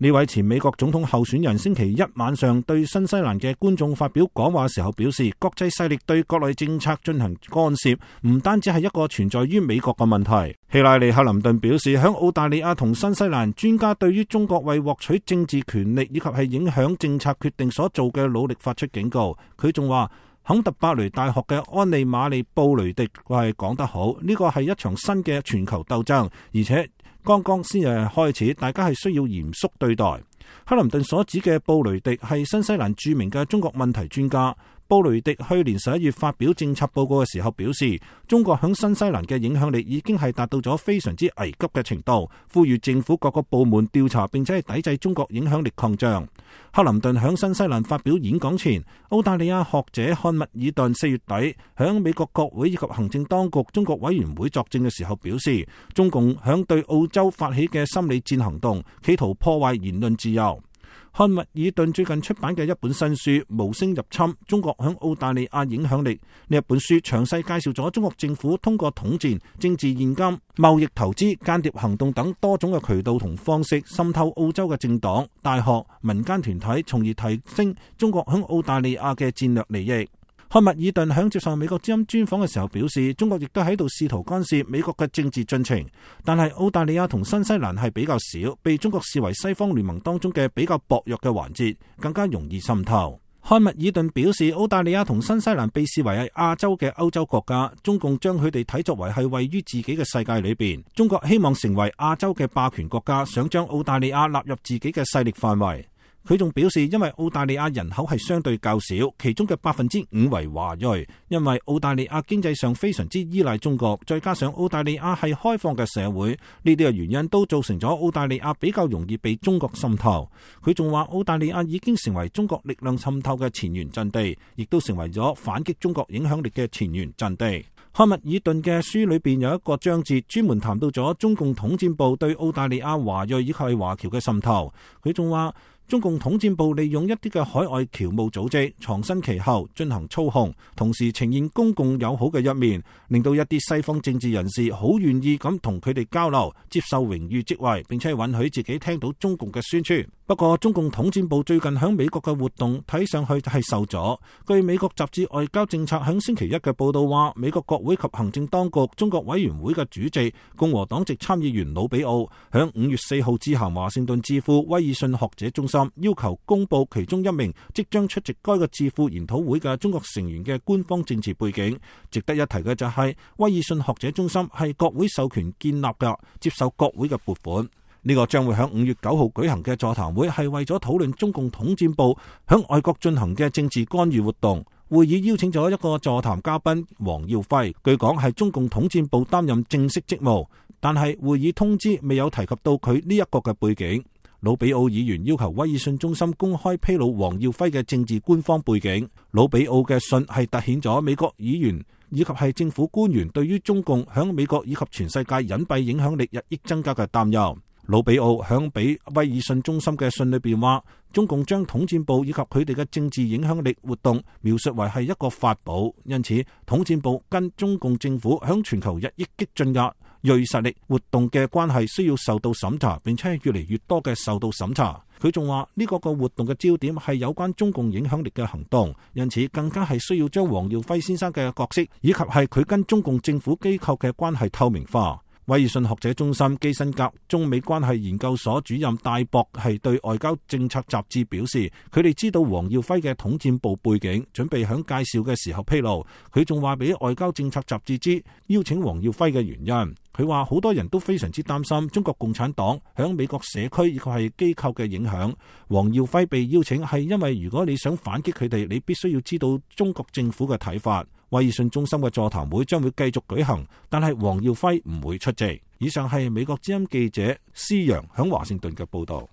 呢位前美國總統候選人星期一晚上對新西蘭嘅觀眾發表講話時候表示，國際勢力對國內政策進行干涉，唔單止係一個存在於美國嘅問題。希拉里·克林頓表示，響澳大利亞同新西蘭專家對於中國為獲取政治權力以及係影響政策決定所做嘅努力發出警告。佢仲話，肯特伯雷大學嘅安利瑪利布雷迪係講得好，呢個係一場新嘅全球鬥爭，而且剛剛先係開始，大家係需要嚴肅對待。克林頓所指嘅布雷迪係新西蘭著名嘅中國問題專家。布雷迪去年11月發表政策報告嘅時候表示，中國響新西蘭嘅影響力已經係達到咗非常之危急嘅程度，呼籲政府各個部門調查並且係抵制中國影響力擴張。克林頓響新西蘭發表演講前，澳大利亞學者漢密爾頓4月底響美國國會以及行政當局中國委員會作證嘅時候表示，中共響對澳洲發起嘅心理戰行動，企圖破壞言論自由。漢密爾頓最近出版嘅一本新書《無聲入侵：中國響澳大利亞影響力》，呢一本書詳細介紹咗中國政府通過統戰、政治現金、貿易投資、間諜行動等多種嘅渠道同方式滲透澳洲嘅政黨、大學、民間團體，從而提升中國響澳大利亞嘅戰略利益。漢密爾頓響接受美國之音專訪嘅時候表示，中國亦都喺度試圖干涉美國嘅政治進程，但係澳大利亞同新西蘭係比較少，被中國視為西方聯盟當中嘅比較薄弱嘅環節，更加容易滲透。漢密爾頓表示，澳大利亞同新西蘭被視為係亞洲嘅歐洲國家，中共將佢哋睇作為係位於自己嘅世界裏邊。中國希望成為亞洲嘅霸權國家，想將澳大利亞納入自己嘅勢力範圍。佢仲表示，因為澳大利亞人口係相對較少，其中嘅5%為華裔，因為澳大利亞經濟上非常之依賴中國，再加上澳大利亞係開放嘅社會，呢啲嘅原因都造成咗澳大利亞比較容易被中國滲透。佢仲話，澳大利亞已經成為中國力量滲透嘅前沿陣地，亦都成為咗反擊中國影響力嘅前沿陣地。漢密爾頓嘅書裏邊有一個章節專門談到咗中共統戰部對澳大利亞華裔以及係華僑嘅滲透。佢仲話，中共統戰部利用一啲嘅海外僑務組織藏身其後進行操控，同時呈現公共友好嘅一面，令到一啲西方政治人士好願意咁同佢哋交流，接受榮譽職位，並且允許自己聽到中共嘅宣傳。不過中共統戰部最近響美國嘅活動睇上去係受阻。據美國雜誌外交政策響星期一嘅報道話，美國國會及行政當局中國委員會嘅主席共和黨籍參議員魯比奧響5月4號致函華盛頓智庫威爾遜學者中心，要求公布其中一名即將出席該個智庫研討會嘅中國成員嘅官方政治背景。值得一提嘅就係威爾遜學者中心係國會授權建立嘅，接受國會嘅撥款。呢個將會喺5月9號舉行嘅座談會係為咗討論中共統戰部響外國進行嘅政治干預活動。會議邀請咗一個座談嘉賓黃耀輝，據講係中共統戰部擔任正式職務，但係會議通知未有提及到佢呢一個嘅背景。魯比奧議員要求威爾遜中心公開披露黃耀輝嘅政治官方背景。魯比奧嘅信係凸顯咗美國議員以及係政府官員對於中共響美國以及全世界隱蔽影響力日益增加嘅擔憂。魯比奧響俾威爾遜中心嘅信裏邊話，中共將統戰部以及佢哋嘅政治影響力活動描述為係一個法寶，因此統戰部跟中共政府響全球日益激進嘅銳實力活動嘅關係需要受到審查，並且係越嚟越多嘅受到審查。佢仲話呢個活動嘅焦點係有關中共影響力嘅行動，因此更加係需要將黃耀輝先生嘅角色以及係佢跟中共政府機構嘅關係透明化。威爾遜學者中心基辛格中美關係研究所主任戴博係對外交政策雜誌表示，佢哋知道黃耀輝嘅統戰部背景，準備響介紹嘅時候披露。佢仲話俾外交政策雜誌知邀請黃耀輝嘅原因。佢話好多人都非常之擔心中國共產黨響美國社區以及係機構嘅影響。黃耀輝被邀請係因為如果你想反擊佢哋，你必須要知道中國政府嘅睇法。威爾遜中心嘅座談會將會繼續舉行，但係黃耀輝唔會出席。以上係美國之音記者施陽響華盛頓嘅報道。